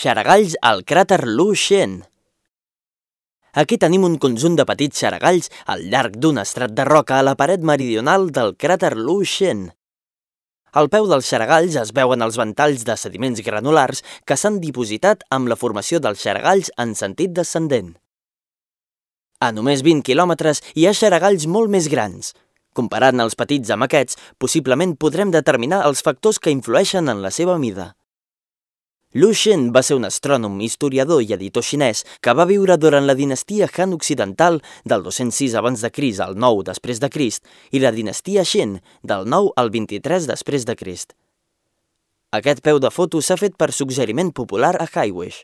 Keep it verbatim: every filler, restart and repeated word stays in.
Xaragalls al cràter Lu Xen. Aquí tenim un conjunt de petits xaragalls al llarg d'un estrat de roca a la paret meridional del cràter Lu Xen. Al peu dels xaragalls es veuen els ventalls de sediments granulars que s'han dipositat amb la formació dels xaragalls en sentit descendent. A només vint quilòmetres hi ha xaragalls molt més grans. Comparant els petits amb aquests, possiblement podrem determinar els factors que influeixen en la seva mida. Lu Xen va ser un astrònom, historiador i editor xinès que va viure durant la dinastia Han occidental del dos-cents sis abans de Crist al nou després de Crist i la dinastia Xen del nou al vint-i-tres després de Crist. Aquest peu de foto s'ha fet per suggeriment popular a Highwish.